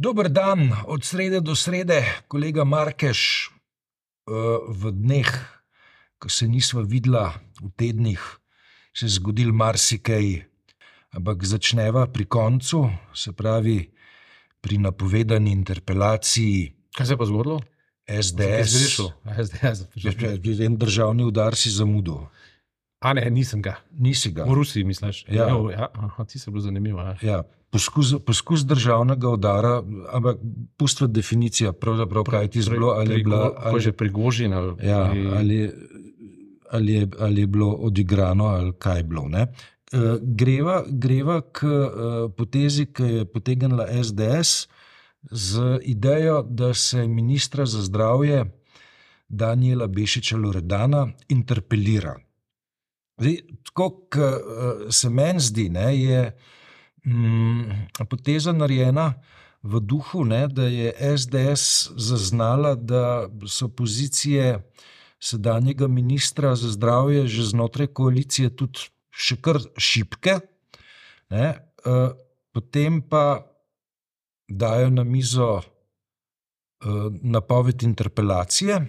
Dober dan, od srede do srede, kolega Markeš. V dneh, ko se nisva videla, v tednih, se je zgodil marsikaj, ampak začneva pri koncu, se pravi pri napovedani interpelaciji. Kaj se je pa zgodilo? SDS. En državni udar si zamudil. A ne, nisem ga. Nisi ga. V Rusiji, misliš? Ja. Ti se bilo zanimivo. Ja, poskus državnega udara, ampak pustva definicija, pravzaprav kaj ti zbilo, ali je bila... Ko je že Prigožin. Ali je bilo odigrano, ali kaj je bilo, ne? Greva k potezi, ki je potegnila SDS z idejo, da se ministra za zdravje Danijela Bešiča Loredana interpelira. Zdaj, tako, se meni zdi, ne, je poteza narejena v duhu, ne, da je SDS zaznala, da so pozicije sedanjega ministra za zdravje že znotraj koalicije tudi še kar šibke, ne, potem pa dajo na mizo napoved interpelacije,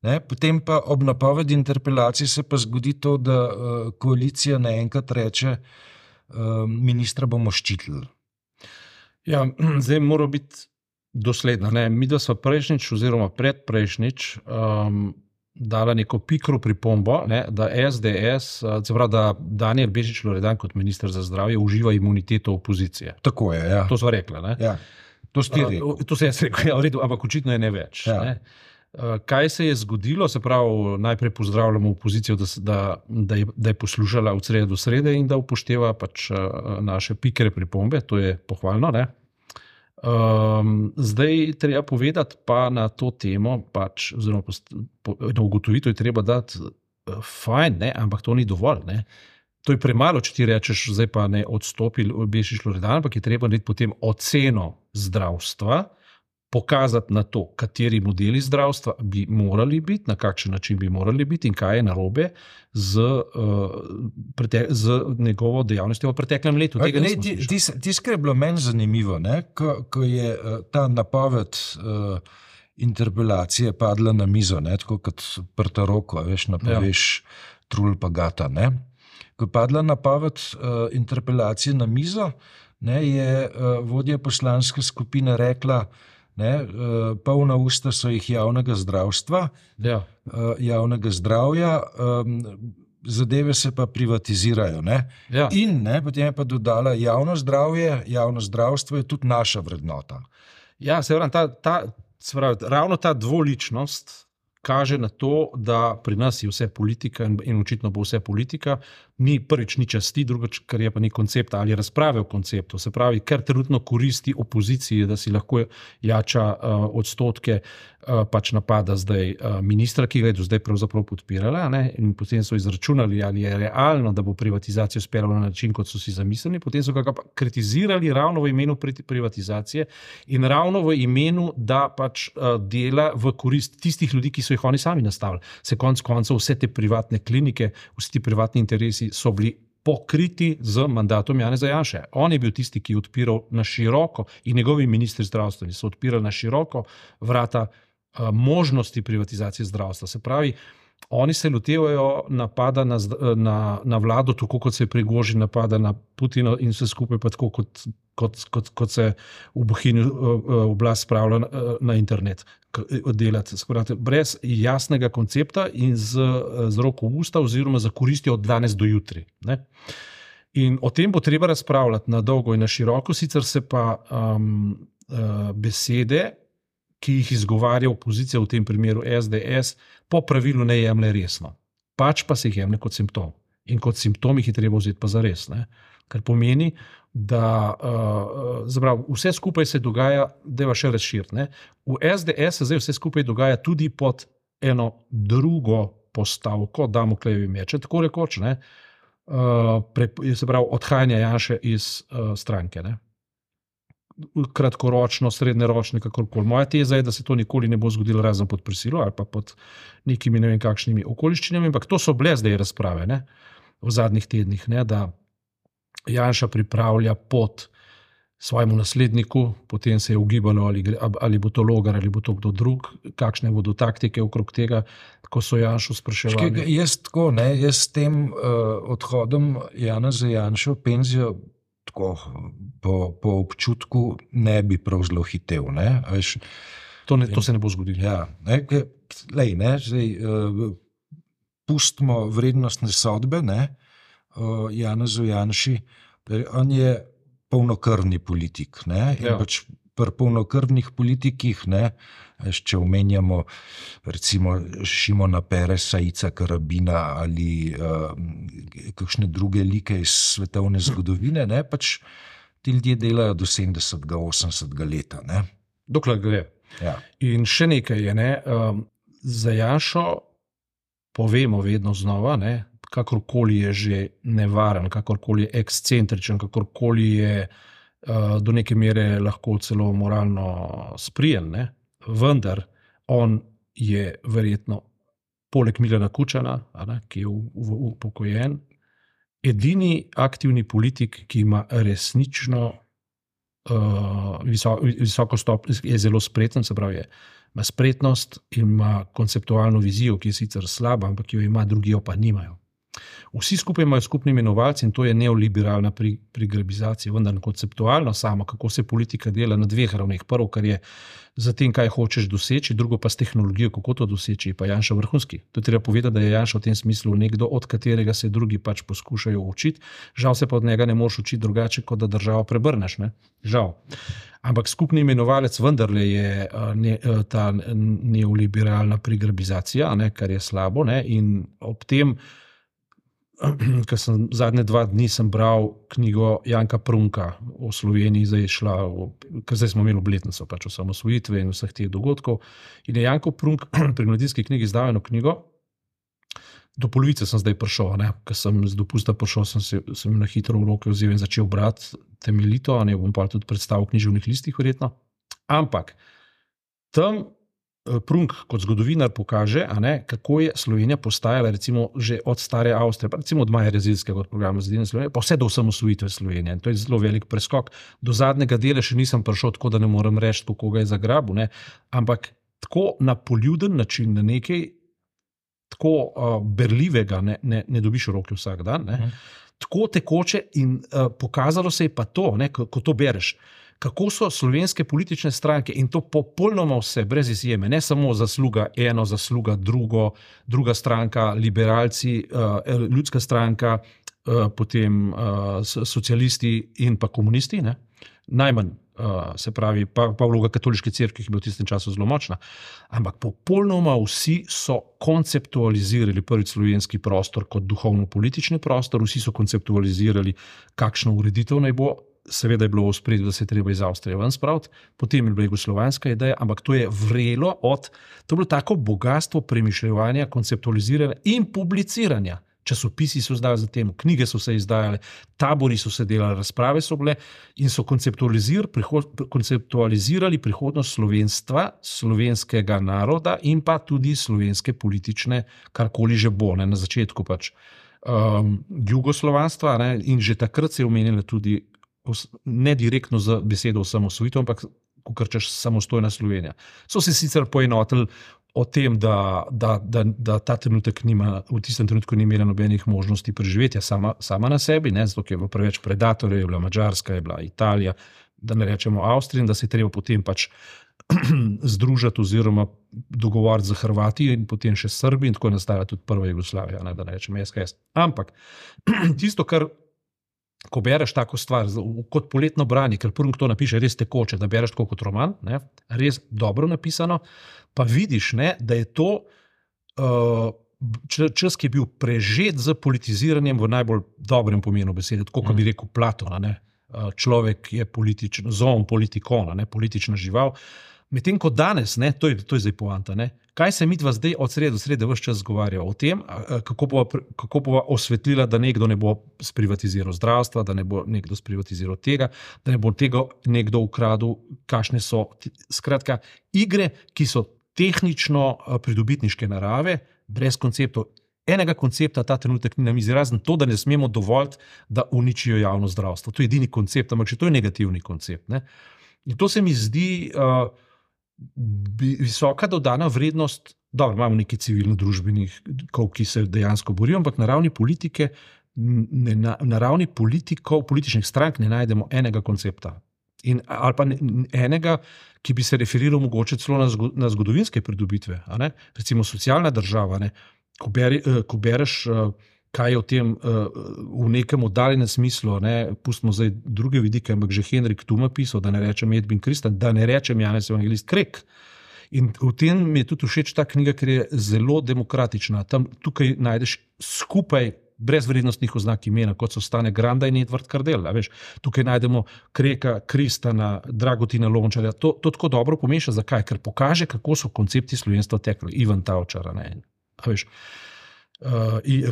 ne, potem pa ob napovedi interpelacije se pa zgodi to, da koalicija naenkrat reče, ministra bomo ščitili. Ja, zdaj mora biti dosledna. Ne? Mi da smo prejšnjič oziroma predprejšnjič dala neko pikro pripombo, ne, da SDS, se pravi, da Danijel Bešič Loredan kot minister za zdravje uživa imuniteto opozicije. Tako je, ja. To sva rekla, ne? Ja, to ste rekel. To se jaz rekel, ja, v redu, ampak očitno je ne več. Ja. Ne? Kaj se je zgodilo, se pravi, najprej pozdravljamo opozicijo, da je poslušala od srede do srede in da upošteva pač naše pikre pripombe, to je pohvalno, ne? Zdaj treba povedati pa na to temo, pač, oziroma na ugotovitev je treba dati fajn, ne, ampak to ni dovolj, ne. To je premalo, če ti rečeš, zdaj pa ne odstopi Bešič Loredan, ampak je treba narediti potem oceno zdravstva, pokazati na to, kateri modeli zdravstva bi morali biti, na kakšen način bi morali biti in kaj je narobe z njegovo dejavnostjo v preteklem letu. Tisto, kar je bilo meni zanimivo, ne, ko je ta napoved interpelacije padla na mizo, ne, tako kot prta roko, veš, napoveš trul pa gata, ne. Ko je padla napoved interpelacije na mizo, ne, je vodja poslanske skupine rekla, ne, polna usta so jih javnega zdravstva, javnega zdravja, zadeve se pa privatizirajo. Ne? Ja. In ne, potem je pa dodala, javno zdravstvo je tudi naša vrednota. Ja, se pravi, ravno ta dvoličnost kaže na to, da pri nas je vse politika in očitno bo vse politika, prvič ni časti, drugič, kar je pa ni koncepta ali razprave o konceptu. Se pravi, ker trenutno koristi opoziciji, da si lahko jača odstotke, pač napada zdaj ministra, ki ga je do zdaj pravzaprav podpirala, ne? In potem so izračunali, ali je realno, da bo privatizacijo speljala na način, kot so si zamislili, potem so ga pa kritizirali ravno v imenu privatizacije in ravno v imenu, da pač dela v korist tistih ljudi, ki so jih oni sami nastavili. Se konec koncev vse te privatne klinike, vsi ti privatni interesi so bili pokriti z mandatom Janeza Janše. On je bil tisti, ki je odpiral na široko in njegovi ministri zdravstveni so odpirali na široko vrata možnosti privatizacije zdravstva. Se pravi, oni se lotevajo napada na vlado, tako kot se Prigožin napada na Putina in vse skupaj pa tako, kot se v Bohinju oblast spravlja na internet delati. Skorate, brez jasnega koncepta in z roko v usta oziroma za koristijo od danes do jutri. Ne? In o tem bo treba razpravljati na dolgo in na široko, sicer se pa besede, ki jih izgovarja opozicija, v tem primeru SDS, po pravilu ne jemlje resno. Pač pa se jih jemlje kot simptom. In kot simptom jih je treba vzeti pa zares. Ne? Kar pomeni, da vse skupaj se dogaja, da je še razširiti. V SDS se zdaj vse skupaj dogaja tudi pod eno drugo postavko, Damoklejevi meče, tako rekoč, ne? Se pravi, odhajanje Janše iz stranke. Ne? Kratkoročno, srednjeročno, kakorkoli. Moja teza je, da se to nikoli ne bo zgodilo razen pod prisilo ali pa pod nekimi ne vem kakšnimi okoliščinami, ampak to so bile zdaj razprave, ne? V zadnjih tednih, ne? Da Janša pripravlja pot svojemu nasledniku, potem se je ugibalo, ali bo to Logar, ali bo to kdo drug, kakšne bodo taktike okrog tega, ko so Janšo spraševali. Jaz s tem odhodom Janeza Janše v penzijo tako po občutku ne bi prav zelo hitel. To se ne bo zgodilo. Ja, pustimo vrednostne sodbe Janezu Janši, on je polnokrvni politik. In pač pri polnokrvnih politikih, če omenjamo recimo Šimona Peresa, Ica Karabina ali kakšne druge like iz svetovne zgodovine, pač ti ljudje delajo do 70. 80. leta. Dokler gre. Ja. In še nekaj je, za Janšo povemo vedno znova, kakorkoli je že nevaren, kakorkoli je ekscentričen, kakorkoli je do neke mere lahko celo moralno sprijen, vendar on je verjetno poleg Milana Kučana, ki je upokojen, edini aktivni politik, ki ima resnično visoko stopnjo, je zelo spreten, se pravi, ima spretnost in ima konceptualno vizijo, ki je sicer slaba, ampak jo ima, drugi jo pa nimajo. Vsi skupaj imajo skupni imenovalec in to je neoliberalna prigrabizacija, vendar konceptualno samo, kako se politika dela na dveh ravneh. Prvo, kar je za tem, kaj hočeš doseči, drugo pa s tehnologijo, kako to doseči, pa Janša vrhunski. To je treba povedati, da je Janša v tem smislu nekdo, od katerega se drugi pač poskušajo učiti, žal se pa od njega ne moreš učiti drugače, kot da državo prebrneš, žal. Ampak skupni imenovalec vendarle je ta neoliberalna prigrabizacija, kar je slabo, in ob tem, ker sem zadnje 2 dni sem bral knjigo Janka Prunka o Sloveniji, zdaj je šla, ker zdaj smo imeli obletnico pač osamosvojitve in vseh teh dogodkov, in je Janko Prunk pri Mladinski knjigi izdal eno knjigo, do polovice sem zdaj prišel, ker sem z dopusta prišel, sem na hitro v roke vzel in začel brati temeljito, bom pa tudi predstavil v književnih listih verjetno, ampak tam Prunk kot zgodovinar pokaže, kako je Slovenija postajala recimo že od stare Avstrije, pa recimo od Maja Rezilskega od programa Zedinjene Slovenije, pa vse do osamosvojitve Slovenije. In to je zelo velik preskok. Do zadnjega dela še nisem prišel, tako da ne morem reči, kako ga je zagrabil, ampak tako na poljuden način, na nekaj tako berljivega ne dobiš v roki vsak dan, tako tekoče in pokazalo se je pa to, ko to bereš, kako so slovenske politične stranke, in to popolnoma vse, brez izjeme, ne samo zasluga eno, zasluga druga stranka, liberalci, ljudska stranka, potem socialisti in pa komunisti, najmanj, se pravi, pa vloga katoliške cerkve, ki je bila v tistem času zelo močna, ampak popolnoma vsi so konceptualizirali prvič slovenski prostor kot duhovno-politični prostor, vsi so konceptualizirali, kakšno ureditev naj bo. Seveda je bilo v ospredju, da se je treba iz Avstrije ven spraviti, potem je bila jugoslovanska ideja, ampak to je vrelo to je bilo tako bogatstvo premišljevanja, konceptualiziranja in publiciranja. Časopisi so izdali za tem, knjige so se izdajale, tabori so se delali, razprave so bile in so konceptualizirali prihodnost slovenstva, slovenskega naroda in pa tudi slovenske politične, karkoli že bo, na začetku pač jugoslovanstva, in že takrat se je omenila tudi ne direktno z besedo osamosvojitev, ampak kakor češ samostojna Slovenija. So se sicer poenotili o tem, da ta trenutek v tistem trenutku ni imela nobenih možnosti preživetja sama na sebi, zato ker je bilo preveč predatorjev, je bila Madžarska, je bila Italija, da ne rečemo Avstrija, in da se je treba potem pač združiti oziroma dogovoriti z Hrvati in potem še Srbi, in tako je nastala tudi prva Jugoslavija, da ne rečemo SHS. Ampak tisto, kar ko bereš tako stvar, kot poletno branje, ker Prunk to napiše res tekoče, da bereš tako kot roman, res dobro napisano, pa vidiš, da je to čas, ki je bil prežet z politiziranjem v najbolj dobrem pomenu besede, tako kot bi rekel Platon, človek je političen, zoon politikon, politična žival, medtem ko danes, to je zdaj poanta, kaj se midva zdaj od srede ves čas zgovarja o tem, kako bova osvetlila, da nekdo ne bo sprivatiziral zdravstva, da ne bo nekdo sprivatiziral tega, da ne bo tega nekdo ukradel, kakšne so, skratka, igre, ki so tehnično pridobitniške narave, brez konceptov, enega koncepta ta trenutek ni na mizi, razen to, da ne smemo dovoliti, da uničijo javno zdravstvo. To je edini koncept, ampak če to je negativni koncept. Ne? In to se mi zdi visoka dodana vrednost. Dobro, imamo nekaj civilno-družbenih, ki se dejansko borijo, ampak na ravni politike, na ravni politikov, političnih strank ne najdemo enega koncepta. Ali pa enega, ki bi se referiral mogoče celo na zgodovinske pridobitve. Recimo socialna država. Ko bereš, kaj je o tem v nekem oddaljenem smislu, pustimo zdaj druge vidike, ampak že Henrik Tuma pisal, da ne rečem Edwin Christen, da ne rečem Janez Evangelist Krek. In v tem mi je tudi všeč ta knjiga, ker je zelo demokratična. Tukaj najdeš skupaj brezvrednostnih oznak imena, kot so Stane Granda in Edvard Kardel. Tukaj najdemo Kreka, Kristana, Dragutina Lončarja. To tako dobro pomeša. Zakaj? Ker pokaže, kako so koncepti slovenstva tekli. Ivan Tavčar,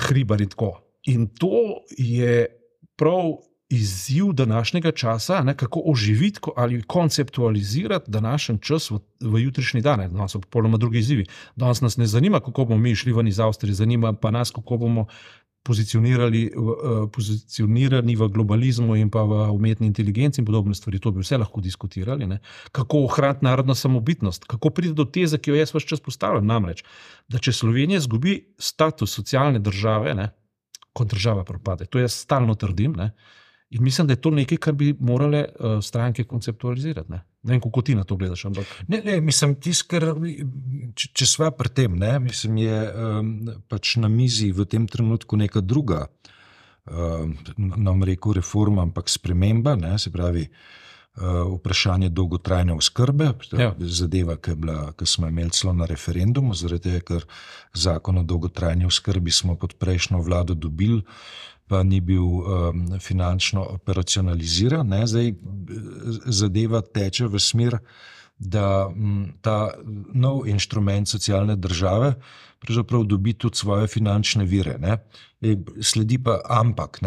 Hribar in tako. In to je prav izziv današnjega časa, kako oživiti ali konceptualizirati današnji čas v jutrišnji dan. Danes so popolnoma drugi izzivi. Danes nas ne zanima, kako bomo mi šli ven iz Avstrije, zanima pa nas, kako bomo pozicionirani v globalizmu in pa v umetni inteligenci in podobne stvari. To bi vse lahko diskutirali. Kako ohraniti narodno samobitnost, kako priti do teze, ki jo jaz ves čas postavljam. Namreč, da če Slovenija izgubi status socialne države, kot država propade. To jaz stalno trdim. In mislim, da je to nekaj, kar bi morale stranke konceptualizirati. Ne vem, kako ti na to gledaš. Ampak. Ne, mislim, če sva pri tem, mislim, je pač na mizi v tem trenutku neka druga, nam rekel reforma, ampak sprememba, se pravi vprašanje dolgotrajne oskrbe, zadeva, ki smo imeli celo na referendumu, zaradi tega, ker zakon o dolgotrajni oskrbi smo pod prejšnjo vlado dobili, pa ni bil finančno operacionaliziran. Zdaj zadeva teče v smer, da ta nov inštrument socialne države pravzaprav dobi tudi svoje finančne vire. Sledi pa ampak.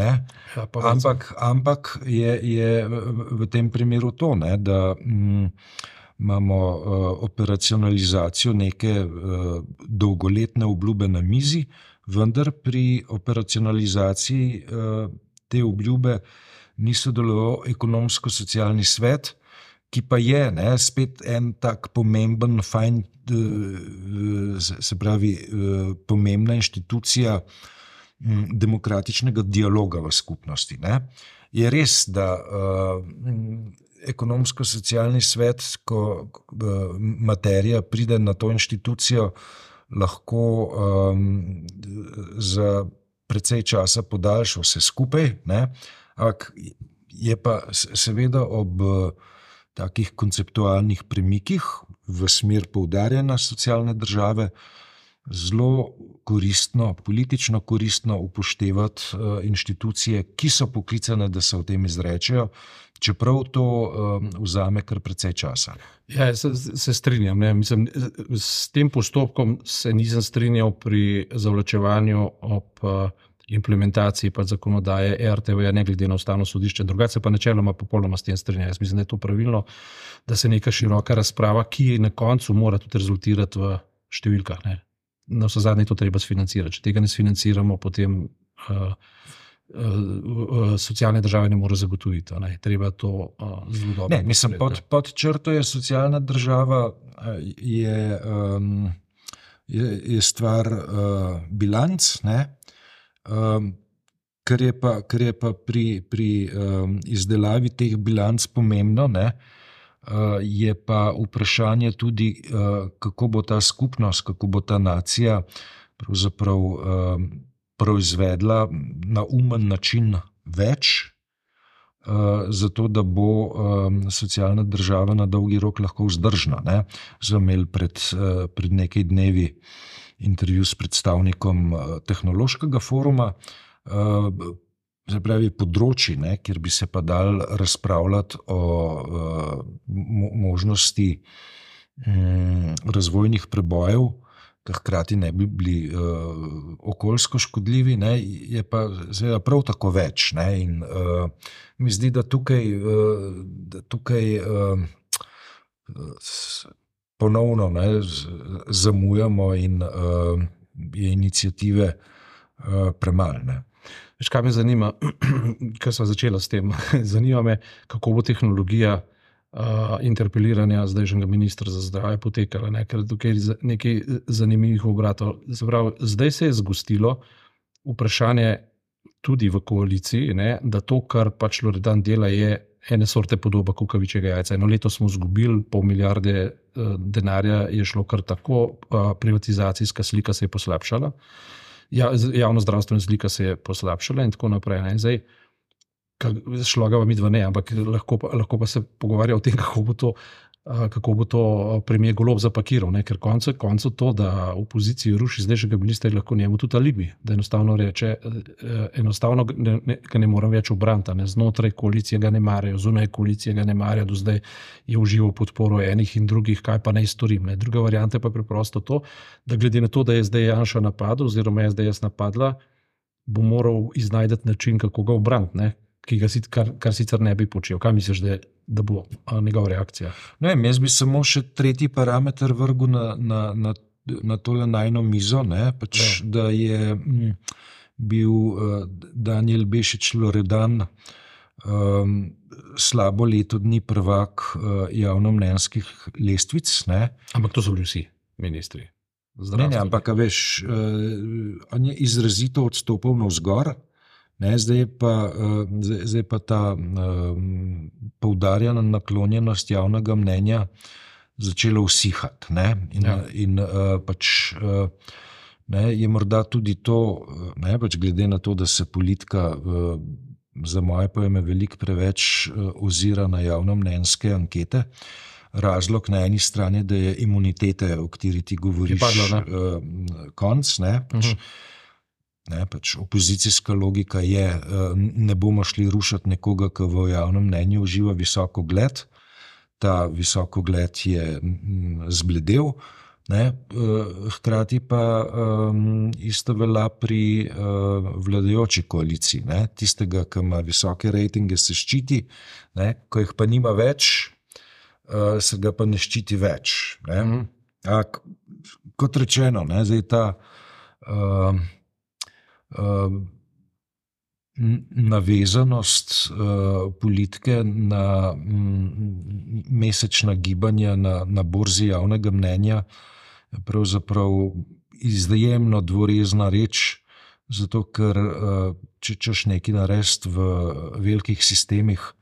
Ampak je v tem primeru to, da imamo operacionalizacijo neke dolgoletne obljube na mizi, vendar pri operacionalizaciji te obljube ni sodeloval ekonomsko-socialni svet, ki pa je spet en tak pomemben, fajn, se pravi, pomembna inštitucija demokratičnega dialoga v skupnosti. Je res, da ekonomsko-socialni svet, ko materija pride na to inštitucijo, lahko za precej časa podaljša vse skupaj, ampak je pa seveda ob takih konceptualnih premikih v smer poudarjanja socialne države zelo koristno, politično koristno upoštevati inštitucije, ki so poklicane, da se o tem izrečejo, čeprav to vzame kar precej časa. Ja, se strinjam. Mislim, s tem postopkom se nisem strinjal pri zavlačevanju ob implementaciji pa zakonodaje RTV, ne glede na Ustavno sodišče. Drugače pa načeloma popolnoma s tem strinjam. Jaz mislim, da je to pravilno, da se neka široka razprava, ki na koncu mora tudi rezultirati v številkah. Na vse zadnje to treba sfinancirati. Če tega ne sfinanciramo, potem socialne države ne more zagotoviti. Treba to zelo dobro. Mislim, pod črto je socialna država, je stvar bilanc, kar je pa pri izdelavi teh bilanc pomembno, je pa vprašanje tudi, kako bo ta skupnost, kako bo ta nacija pravzaprav proizvedla na umen način več, zato da bo socialna država na dolgi rok lahko vzdržna. Smo imeli pred nekaj dnevi intervju s predstavnikom tehnološkega foruma, se pravi področji, kjer bi se pa dal razpravljati o možnosti razvojnih prebojev, ki hkrati ne bi bili okoljsko škodljivi, je pa seveda prav tako več. In mi zdi, da tukaj ponovno zamujamo in je iniciative premalo. Ne? Veš, kaj me zanima, ker sva začela s tem, zanima me, kako bo tehnologija interpeliranja zdajšnjega ministra za zdravje potekala, ne? Ker tukaj je nekaj zanimivih obratov. Zdaj se je zgostilo vprašanje tudi v koaliciji, ne? Da to, kar pač Loredan dela, je ene sorte podoba kukavičjega jajca. Eno leto smo izgubili, 500 milijarde denarja je šlo kar tako, privatizacijska slika se je poslabšala, javno zdravstvena slika se je poslabšala in tako naprej. Ne? Zdaj, šlo ga mi dva ne, ampak lahko pa se pogovarja o tem, kako bo to premier Golob zapakiral, ne? Ker koncu to, da opoziciji ruši zdajšnjega ministra, je lahko njemu tudi alibi, da enostavno reče, ga ne morem več obraniti, ne? Znotraj koalicije ga ne marajo, zunaj koalicije ga ne marajo, do zdaj je užival podporo enih in drugih, kaj pa naj storim. Ne? Druga varianta pa je preprosto to, da glede na to, da je zdaj Janša napadel oziroma je SDS napadla, bo moral iznajdeti način, kako ga obraniti, kar sicer ne bi počel. Kaj misliš, da bo njegova reakcija? Ne vem, jaz bi samo še tretji parameter vrgel na tole najno mizo, ne? Pač, da je bil Danijel Bešič Loredan slabo leto dni prvak javnomnenjskih lestvic. Ne? Ampak to so bili vsi ministri. Ne, ampak veš, on je izrazito odstopal navzgor. Ne, zdaj pa ta poudarjena naklonjenost javnega mnenja začela usihati. In pač je morda tudi to, pač glede na to, da se politika za moje pojme veliko preveč ozira na javnomnenjske ankete, razlog na eni strani, da je imunitete, o kateri ti govoriš, konc, pač opozicijska logika je, ne bomo šli rušiti nekoga, ki v javnem mnenju uživa visoko gled. Ta visoko gled je zbledel, hkrati pa isto velja pri vladajoči koaliciji. Tistega, ki ima visoke rejtinge, se ščiti, ko jih pa nima več, se ga pa ne ščiti več. Kot rečeno, zdaj ta navezanost politike na mesečna gibanja na borzi javnega mnenja je pravzaprav izjemno dvorezna reč, zato ker če češ nekaj narediti v velikih sistemih,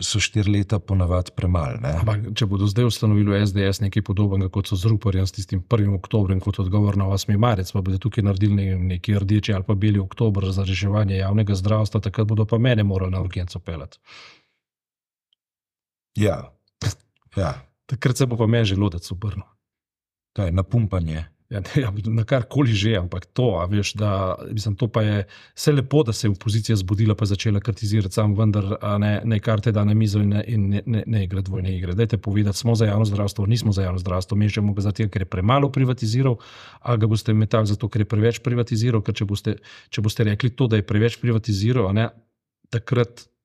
so 4 leta ponavadi premalo. Ampak če bodo zdaj ustanovili SDS nekaj podobnega, kot so z Ruparjem, s tistim 1. oktobrom, kot odgovor na 8. marec, pa bodo tukaj naredili neki rdeči ali pa beli oktober za reševanje javnega zdravstva, takrat bodo pa mene morali na urgenco peljati. Ja. Takrat se bo pa meni želodec obrnil. Kaj, napumpanje. Na karkoli že, ampak to, veš, to pa je vse lepo, da se je opozicija zbudila pa začela kritizirati, sam vendar ne karte da na mizo in ne igra dvojne igre. Dajte povedati, smo za javno zdravstvo, nismo za javno zdravstvo, mešamo ga zato, ker je premalo privatiziral, ali ga boste metali zato, ker je preveč privatiziral, ker če boste rekli to, da je preveč privatiziral,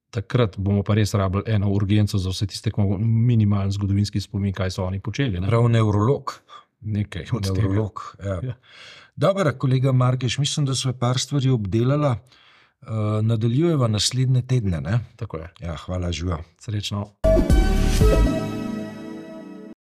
takrat bomo pa res rabili eno urgenco za vse tiste, ki imamo minimalen zgodovinski spomin, kaj so oni počeli. Prav nevrolog. Nekaj od nevrolog, ja. Dobro, kolega Markeš, mislim, da sva par stvari obdelala. Nadaljujeva naslednje tedne, ne? Tako je. Ja, hvala, živa. Srečno.